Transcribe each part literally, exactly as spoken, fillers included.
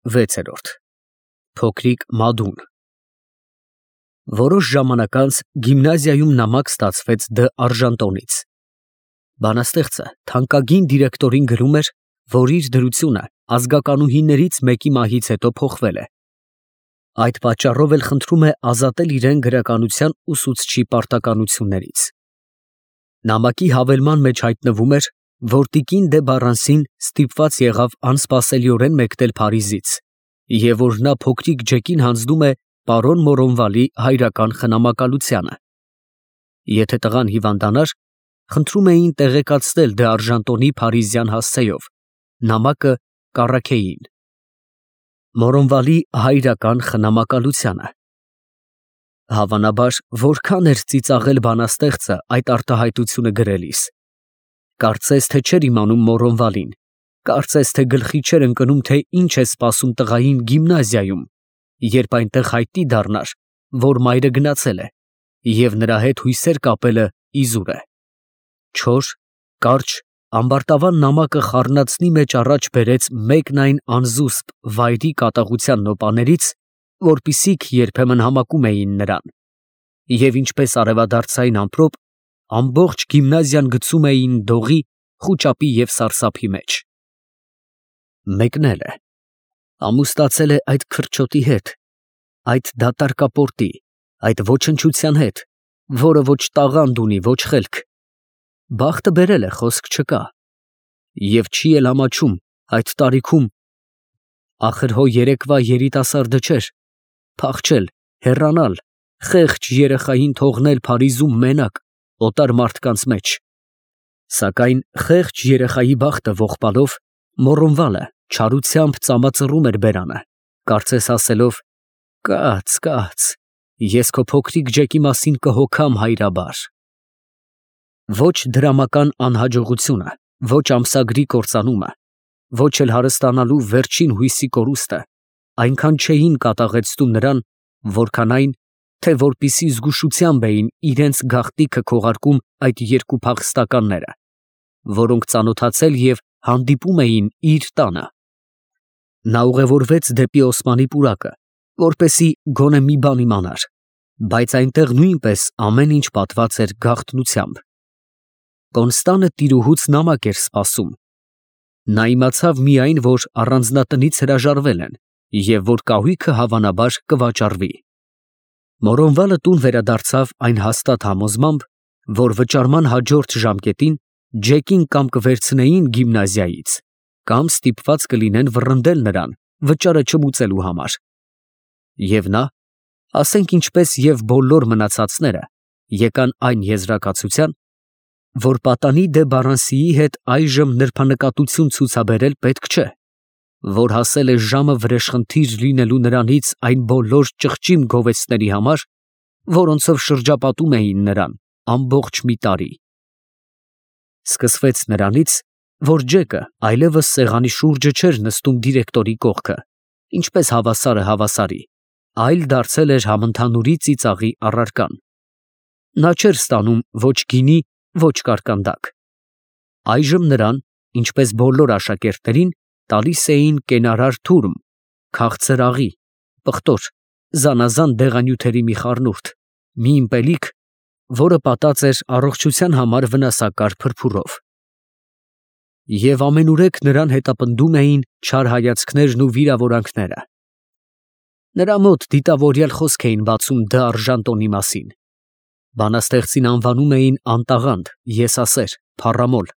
վեց։ Փոքրիկ Մադուն Որոշ ժամանակ անց գիմնազիայում նամակ ստացվեց Դ. Արժանտոնից։ Բանաստեղծը թանկագին դիրեկտորին գրում էր, որ իր դրությունը ազգականուհիներից մեկի մահից հետո փոխվել է։ Այդ պատճառով էլ խնդրում է ազատել իրեն գրականության ուսուցչի պարտականություններից։ Նամակի հավելման մեջ հայտնվում էր, որ տիկին դե Բառանսին ստիպված եղավ անսպասելիորեն մեկնել Փարիզից, և որ նա փոքրիկ Ջեկին հանձնում է պարոն Մորոնվալի հայրական խնամակալությանը։ Եթե տղան հիվանդանար, խնդրում էին տեղեկացնել Դ. Արժանտոնի փարիզյան հասցեով, նամակը կառաքեին։ Մորոնվալի հայրական խնամակալությանը։ Հավանաբար, որքան էր ծիծաղել բանաստեղծը այդ արտահայտությունը գրելիս։ Կարծես թե չէր իմանում Մորոնվալին, կարծես թե գլխի չէր ընկնում, թե ինչ է սպասում տղային գիմնազիայում, երբ այնտեղ հայտնի դառնար, որ մայրը գնացել է, և նրա հետ հույսեր կապելը իզուր է։ Չոր, կարճ, ամբարտավան նամակը խառնածնի մեջ առաջ բերեց մեկն այն անզուսպ վայրի կատաղության նոպաներից, որպիսիք երբեմն համակում էին նրան, և ինչպես արևադարձային ամպրոպ, ամբողջ գիմնազիան գցում էին դողի, խուճապի և սարսափի մեջ։ Մեկնել է, ամուսնացել է այդ քրչոտի հետ, այդ դատարկապորտի, այդ ոչնչության հետ, որը ոչ տաղանդ ունի, ոչ խելք։ Բախտը բերել է, խոսք չկա, և չի էլ ամաչում այդ տարիքում, ախր հո երեկվա երիտասարդը չէր, փախչել, հեռանալ, խեղճ երեխային թողնել Փարիզում մենակ, օտար մարդկանց մեջ։ Սակայն խեղճ երեխայի բախտը ողբալով, Մորոնվալը չարությամբ ծամածռում էր բերանը, կարծես ասելով. «Կաց, կաց, ես քո փոքրիկ Ջեկի մասին կհոգամ հայրաբար»։ Ոչ դրամական անհաջողությունը, ոչ ամսագրի կործանումը, ոչ էլ հարստանալու վերջին հույսի կորուստը այնքան չէին կատաղեցնում նրան, որքան այն, թե որպիսի զգուշությամբ էին իրենց գաղտնիքը քողարկում այդ երկու փախստականները, որոնք ծանոթացել և հանդիպում էին իր տանը։ Նա ուղևորվեց դեպի Օսմանի պուրակը, որպեսզի գոնե մի բան իմանար, բայց այնտեղ նույնպես ամեն ինչ պատված էր գաղտնությամբ։ Կոնստանը տիրուհուց նամակ էր սպասում։ Նա իմացավ միայն, որ առանձնատնից հրաժարվել են և որ կահույքը հավանաբար կվաճառվի։ Մորոնվալը տուն վերադարձավ այն հաստատ համոզմամբ, որ վճարման հաջորդ ժամկետին Ջեկին կամ կվերցնեին գիմնազիայից, կամ ստիպված կլինեն վռնդել նրան վճարը չմուծելու համար։ Եվ նա, ասենք ինչպես և բոլոր մնացածները, եկան այն եզրակացության, որ պատանի դե Բառանսիի հետ այժմ նրբանկատություն ցուցաբերել պետք չէ, որ հասել է ժամը վրեժխնդիր լինելու նրանից այն բոլոր ճղճիմ գովեստների համար, որոնցով շրջապատում էին նրան ամբողջ մի տարի։ Սկսվեց նրանից, որ Ջեկը այլևս սեղանի շուրջը չէր նստում դիրեկտորի կողքը, ինչպես հավասարը հավասարի, այլ դարձել էր համընդհանուրի ծիծաղի առարկան։ Նա չէր ստանում ոչ գինի, ոչ կարկանդակ։ Այժմ նրան, ինչպես բոլոր աշակերտներին, տալիս էին կենարար թուրմ, քաղցր աղի, պղտոր, զանազան դեղանյութերի մի խառնուրդ, մի ըմպելիք, որը պատած էր առողջության համար վնասակար փրփուրով։ Եվ ամենուրեք նրան հետապնդում էին չար հայացքներն ու վիրավորանքները։ Նրա մոտ դիտավորյալ խոսք էին բացում Դ. Արժանտոնի մասին։ Բանաստեղծին անվանում էին անտաղանդ, եսասեր, փառամոլ։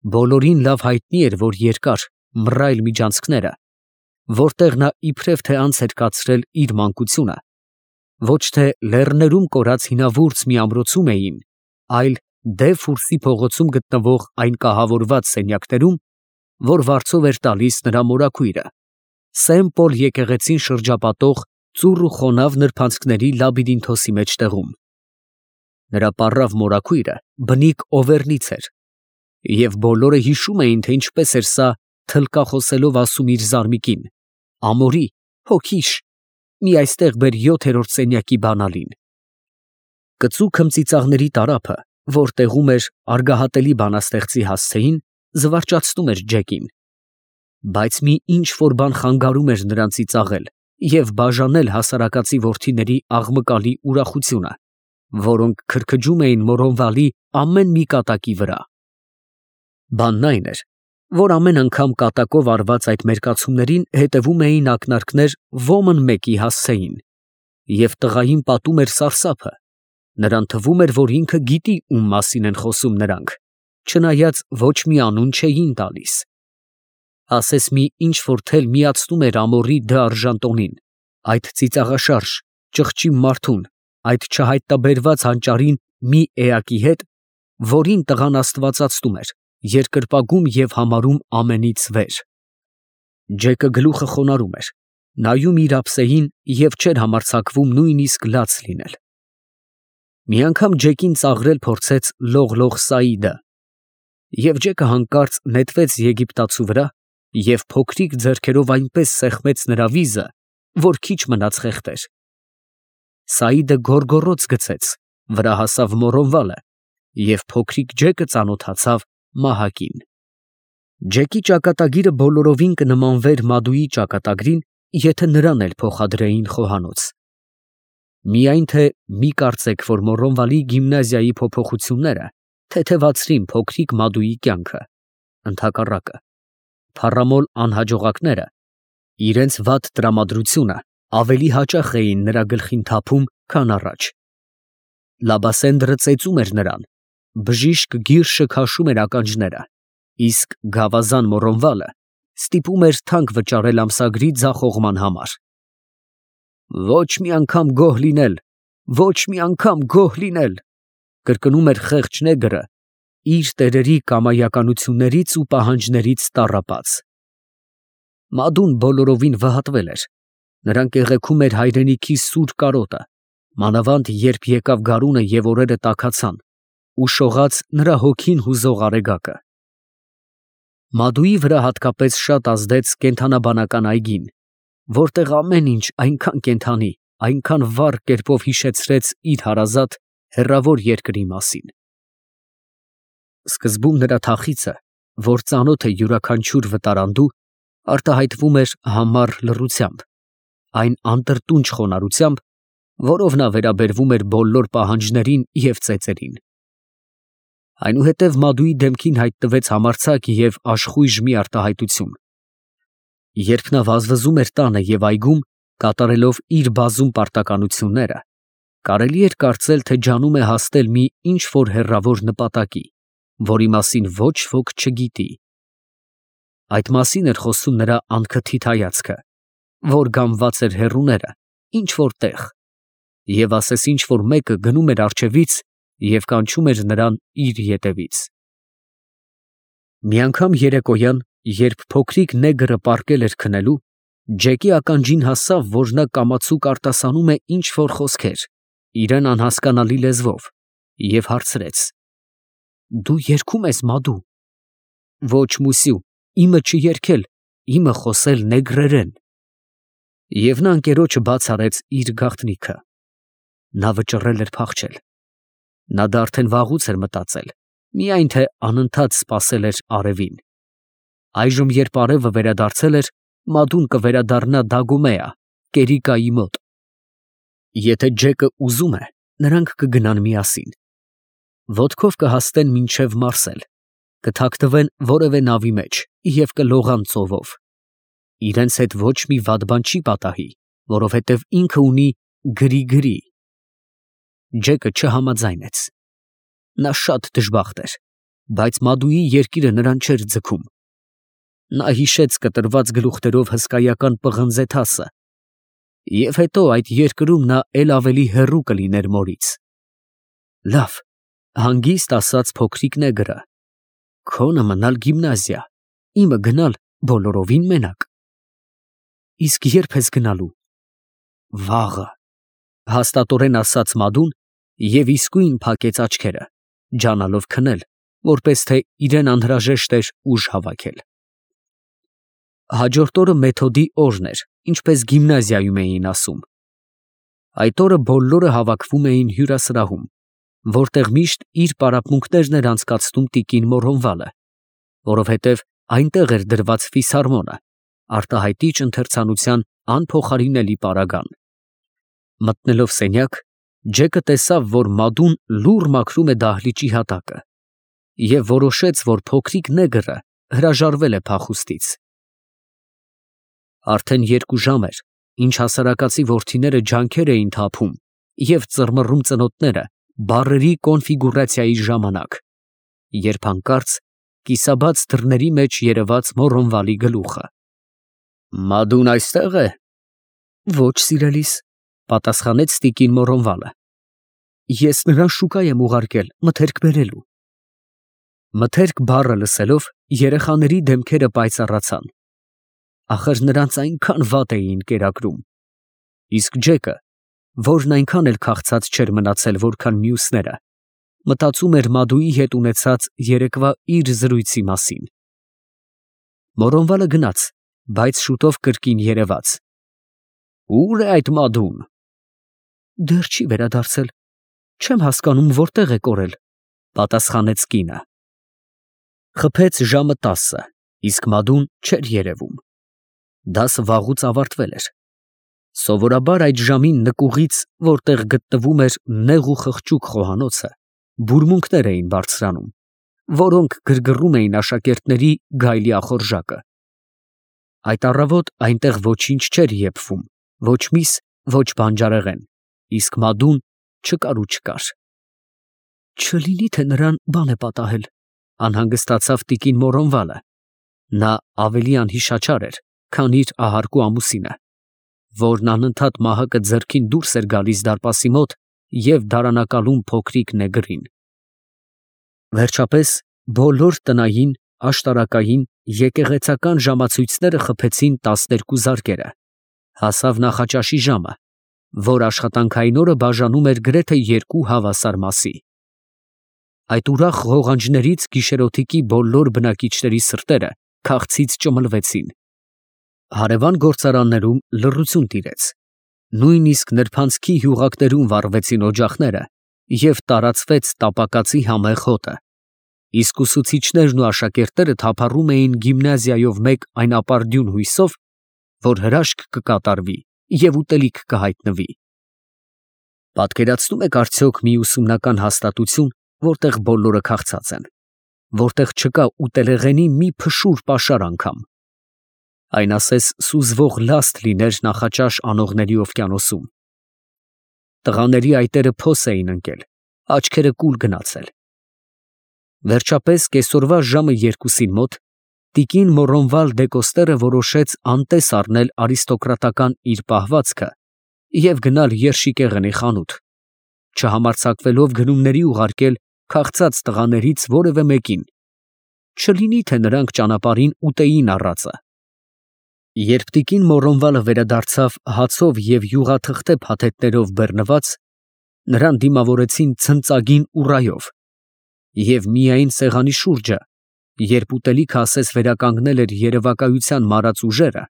Բոլորին լավ հայտնի էր, որ երկար, մռայլ միջանցքները, որտեղ նա իբրև թե անց էր կացրել իր մանկությունը, ոչ թե լեռներում կորած հինավուրց մի ամրոցում էին, այլ Դե Ֆուրսի փողոցում գտնվող այն կահավորված սենյակներում, որ վարձով էր տալիս նրա մորաքույրը, Սեն Պոլ եկեղեցին շրջապատող ծուռ ու խոնավ նրբանցքների լաբիրինթոսի մեջտեղում։ Նրա պառավ մորաքույրը բնիկ Օվերնից էր, և բոլորը հիշում էին, թե ինչպես էր սա թլկախոսելով ասում իր զարմիկին. «Ամորի, հոգիշ, մի այստեղ բեր յոթերորդ սենյակի բանալին»։ Կծու քմծիծաղների տարափը, որ տեղում էր արգահատելի բանաստեղծի հասցեին, զվարճացնում էր Ջեկին։ Բայց մի ինչ որ բան խանգարում էր նրանցից աղել և բաժանել հասարակածի որդիների աղմկալի ուրախությունը, որոնք քրքջում էին Մորոնվալի ամեն մի կատակի վրա։ Բանն այն էր, որ ամեն անգամ կատակով արված այդ մերկացումներին հետևում էին ակնարկներ ոմն մեկի հասցեին, և տղային պատում էր սարսափը, նրան թվում էր, որ ինքը գիտի ում մասին են խոսում նրանք, չնայած ոչ մի անուն չէին տալիս։ Ասես մի ինչ որ թել միացնում էր ամոռի դարժան տոնին, այդ ծիծաղաշարժ, ճղճի մարդուն, այդ չհայտնաբերված հանճարին մի էակի հետ, որին տղան աստվածացնում էր, երկրպագում և համարում ամենից վեր։ Ջեկը գլուխը խոնարհում էր, նայում իր ափսեին և չէր համարձակվում նույնիսկ լաց լինել։ Մի անգամ Ջեկին ծաղրել փորձեց լող֊լող Սաիդը, և Ջեկը հանկարծ նետվեց եգիպտացու վրա և փոքրիկ ձեռքերով այնպես սեղմեց նրա վիզը, որ քիչ մնաց խեղդեր։ Սաիդը գոռգոռոց գցեց, վրա հասավ Մորոնվալը, և փոքրիկ Ջեկը ծանոթացավ մահակին։ Ջեկի ճակատագիրը բոլորովին կնմանվեր Մադուի ճակատագրին, եթե նրան էլ փոխադրեին խոհանոց։ Միայն թե մի կարծեք, որ Մորոնվալի գիմնազիայի փոփոխությունները թեթևացրին փոքրիկ Մադուի կյանքը, ընդհակառակը, փառամոլ անհաջողակները իրենց վատ տրամադրությունը ավելի հաճախ էին նրա գլխին թափում, քան առաջ։ Լաբասենդրը ծեծում էր նրան, բժիշկ Գիրշը քաշում էր ականջները, իսկ գավազան Մորոնվալը ստիպում էր թանկ վճարել ամսագրի ձախողման համար։ «Ոչ մի անգամ գոհ լինել, ոչ մի անգամ գոհ լինել», կրկնում էր խեղճ նեգրը, իր տերերի կամայականություններից ու պահանջներից տառապած։ Մադուն բոլորովին վհատվել էր, նրան կեղեքում էր հայրենիքի սուր կարոտը, մանավանդ երբ եկավ գարունը և օրերը տաքացան, ու շողաց նրա հոգին հուզող արեգակը։ Մադուի վրա հատկապես շատ ազդեց կենդանաբանական այգին, որտեղ ամեն ինչ այնքան կենդանի, այնքան վառ կերպով հիշեցրեց իր հարազատ, հեռավոր երկրի մասին։ Սկզբում նրա թախիծը, որ ծանոթ է յուրաքանչյուր վտարանդու, արտահայտվում էր համառ լռությամբ, այն անտրտունջ խոնարհությամբ, որով նա վերաբերվում էր բոլոր պահանջներին և ծեծերին։ Այնուհետև Մադուի դեմքին հայտնվեց համարձակ և աշխույժ մի արտահայտություն։ Երբ նա վազվզում էր տանը և այգում, կատարելով իր բազում պարտականությունները, կարելի էր կարծել, թե ջանում է հասնել մի ինչ որ հեռավոր նպատակի, որի մասին ոչ ոք չգիտի։ Այդ մասին էր խոսում նրա անքթիթ հայացքը, որ գամված էր հեռուները, ինչ որ տեղ, և ասես ինչ որ մեկը գնում էր առջևից և կանչում էր նրան իր ետևից։ Մի անգամ երեկոյան, երբ փոքրիկ նեգրը պառկել էր քնելու, Ջեկի ականջին հասավ, որ նա կամացուկ արտասանում է ինչ որ խոսքեր, իրան անհասկանալի լեզվով, և հարցրեց. «Դու երգում ես, Մադու»։ «Ոչ, մուսյու, իմը չերգել, իմը խոսել նեգրերեն»։ Եվ նա ընկերոջը բաց արեց իր գաղտնիքը։ Նա վճռել էր փախչել։ Նա դա արդեն վաղուց էր մտածել, միայն թե անընդհատ սպասել էր արևին։ Այժմ, երբ արևը վերադարձել էր, Մադուն կվերադառնա Դագոմեա, Կերիկայի մոտ։ Եթե Ջեկը ուզում է, նրանք կգնան միասին։ Ոտքով կհասնեն մինչև Մարսել, կթաքնվեն որևէ նավի մեջ և կլողան ծովով։ Իրենց հետ ոչ մի վատ բան չի պատահի, որովհետև ինքը ունի գրի֊գրի։ Ջեկը չհամաձայնեց։ Նա շատ դժբախտ էր, բայց Մադուի երկիրը նրան չէր ձգում։ Նա հիշեց կտրված գլուխներով հսկայական պղնձե թասը, և հետո այդ երկրում նա էլ ավելի հեռու կլիներ մորից։ Լավ, հանգիստ ասաց փոքրիկ նեգրը, քոնը մնալ գիմնազիա, իմը գնալ բոլորովին մենակ։ Իսկ ե՞րբ ես գնալու։ Վաղը, հաստատորեն ասաց Մադուն և իսկույն փակեց աչքերը, ջանալով քնել, որպես թե իրան անհրաժեշտ էր ուժ հավաքել։ Հաջորդ օրը մեթոդի օրն էր, ինչպես գիմնազիայում էին ասում։ Այդ օրը բոլորը հավաքվում էին հյուրասրահում, որտեղ միշտ իր պարապմունքներն էր անցկացնում տիկին Մորոնվալը, որովհետև այնտեղ էր դրված ֆիսհարմոնը, արտահայտիչ ընթերցանության անփոխարինելի պարագան։ Մտնելով սենյակ, Ջեկը տեսավ, որ Մադուն լուռ մաքրում է դահլիճի հատակը, և որոշեց, որ փոքրիկ նեգրը հրաժարվել է փախուստից։ Արդեն երկու ժամ էր, ինչ հասարակացի որդիները ջանքեր էին թափում և ծռմռում ծնոտները բառերի կոնֆիգուրացիայի ժամանակ, երբ հանկարծ կիսաբաց դռների մեջ երևաց Մոռոնվալի գլուխը։ «Մադուն այստե՞ղ է»։ «Ոչ, սիրելիս», պատասխանեց տիկին Մոռոնվալը։ «Ես նրան շուկա եմ ուղարկել մթերք բերելու»։ Մթերք բառը լսելով երեխաների դեմքերը պայծառացան։ Ախր նրանց այնքան վատ էին կերակրում։ Իսկ Ջեկը, որն այնքան էլ քաղցած չէր մնացել, որքան մյուսները, մտածում էր Մադուի հետ ունեցած երեկվա իր զրույցի մասին։ Մոռոնվալը գնաց, բայց շուտով կրկին երևաց։ «Ո՞ւր է այդ Մադուն»։ «Դեռ չի վերադարձել, չեմ հասկանում որտեղ է կորել», պատասխանեց կինը։ Խփեց ժամը տասը, իսկ Մադուն չէր երևում։ Դասը վաղուց ավարտվել էր։ Սովորաբար այդ ժամին նկուղից, որտեղ գտնվում էր նեղ ու խղճուկ խոհանոցը, բուրմունքներ էին բարձրանում, որոնք գրգռում էին աշակերտների գայլի ախորժակը։ Այդ առավոտ այնտեղ ոչինչ չէր եփվում, ոչ միս, ոչ բանջարեղեն, իսկ Մադուն չկար ու չկար։ «Չլինի թե նրան բան է պատահել», անհանգստացավ տիկին Մոռոնվալը։ Նա ավելի անհիշաչար էր, քան իր ահարկու ամուսինը, որն անընդհատ մահակը ձեռքին դուրս էր գալիս դարպասի մոտ և դարանակալում փոքրիկ նեգրին։ Վերջապես բոլոր տնային, աշտարակային, եկեղեցական ժամացույցները խփեցին տասներկու զարկերը, հասավ նախաճաշի ժամը, որ աշխատանքային օրը բաժանում էր գրեթե երկու հավասար մասի։ Այդ ուրախ ղողանջներից գիշերօթիկի բոլոր բնակիչների սրտերը քաղցից ճմլվեցին։ Հարևան գործարաններում լռություն տիրեց, նույնիսկ նրբանցքի հյուղակներում վառվեցին օջախները և տարածվեց տապակածի համեղ հոտը, իսկ ուսուցիչներն ու աշակերտները թափառում էին գիմնազիայով մեկ այն ապարդյուն հույսով, որ հրաշք կկատարվի և ուտելիք կհայտնվի։ Պատկերացնում եք արդյոք մի ուսումնական հաստատություն, որտեղ բոլորը քաղցած են, որտեղ չկա ուտելեղենի մի փշուր պաշար անգամ։ Այն ասես սուզվող լաստ լիներ նախաճաշ անողների օվկիանոսում։ Տղաների այտերը փոս էին ընկել, աչքերը կուլ գնացել։ Վերջապես կեսօրվա ժամը երկուսին մոտ տիկին Մոռոնվալ Դեկոստերը որոշեց անտես առնել արիստոկրատական իր պահվածքը և գնալ երշիկեղենի խանութ, չհամարձակվելով գնումների ուղարկել քաղցած տղաներից որևէ մեկին, չլինի թե նրանք ճանապարհին ուտեին առածը։ Երբ տիկին Մոռոնվալը վերադարձավ հացով և յուղաթղթե փաթեթներով բեռնված, նրան դիմավորեցին ցնծագին ուռայով, և միայն սեղանի շուրջը, երբ ուտելիքը ասես վերականգնել էր երևակայության մարած ուժերը,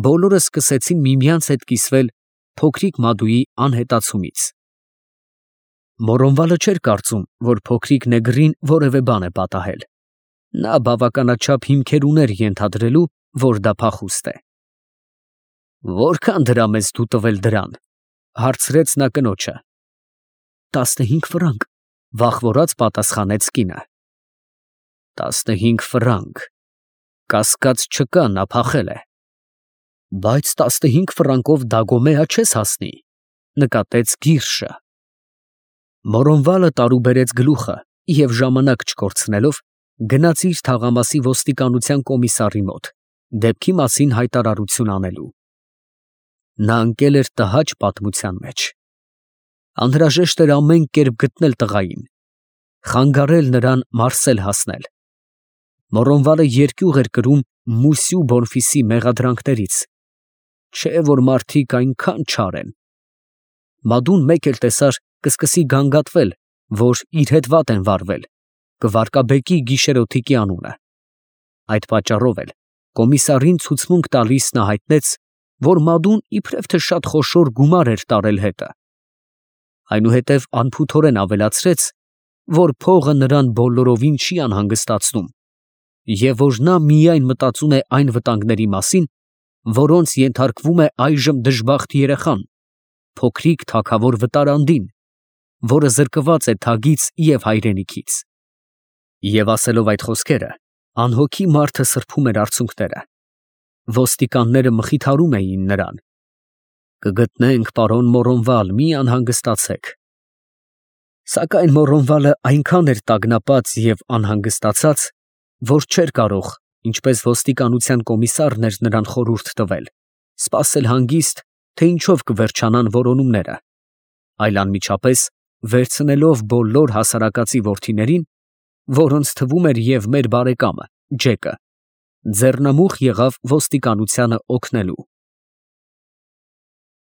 բոլորը սկսեցին միմյանց հետ կիսվել փոքրիկ Մադուի անհետացումից։ Մոռոնվալը չէր կարծում, որ փոքրիկ նեգրին որևէ բան է պատահել։ Նա բավականաչափ հիմքեր ուներ ենթադրելու, որ դա փախուստ է։ «Որքան դրամ ես դու տվել դրան», հարցրեց նա կնոջը։ «Տասնհինգ ֆրանկ», վախվորած պատասխանեց կինը։ «Տասնհինգ ֆրանկ, կասկած չկա, նա փախել է»։ «Բայց տասնհինգ ֆրանկով Դագոմեա չես հասնի», նկատեց Գիրշը։ Մոռոնվալը տարուբերեց գլուխը և ժամանակ չկորցնելով գնաց իր թաղամասի ոստիկանության կոմիսարի մոտ, դեպքի մասին հայտարարություն անելու։ Նա ընկել էր տհաճ պատմության մեջ։ Անհրաժեշտ էր ամեն կերպ գտնել տղային, խանգարել նրան Մարսել հասնել։ Մոռոնվալը երկյուղ էր կրում Մուսյու Բոնֆիսի մեղադրանքներից, չէ որ մարդիկ այնքան չար են։ Մադուն մեկ էլ տեսար կսկսի գանգատվել, որ իր հետ վատ են վարվել, կվարկաբեկի գիշերօթիկի անունը։ Այդ պատճառով էլ կոմիսարին ցուցմունք տալիս նա հայտնեց, որ Մադուն իբրև թե շատ խոշոր գումար էր տարել հետը։ Այնուհետև անփութորեն ավելացրեց, որ փողը նրան բոլորովին չի անհանգստացնում, և որ նա միայն մտածում է այն վտանգների մասին, որոնց ենթարկվում է այժմ դժբախտ երեխան, փոքրիկ թագավոր վտարանդին, որը զրկված է թագից և հայրենիքից։ Եվ ասելով այդ խոսքերը, անհոգի մարդը սրբում էր արցունքները։ Ոստիկանները մխիթարում էին նրան. «Կգտնենք, պարոն Մորոնվալ, մի անհանգստացեք»։ Սակայն Մորոնվալը այնքան էր տագնապած և անհանգստացած, որ չէր կարող, ինչպես ոստիկանության կոմիսարն էր նրան խորհուրդ տվել, սպասել հանգիստ, թե ինչով կվերջանան որոնումները, այլ անմիջապես վերցնելով բոլոր հասարակածի որդիներին, որոնց թվում էր և մեր բարեկամը Ջեկը, ձեռնամուխ եղավ ոստիկանությանը օգնելու։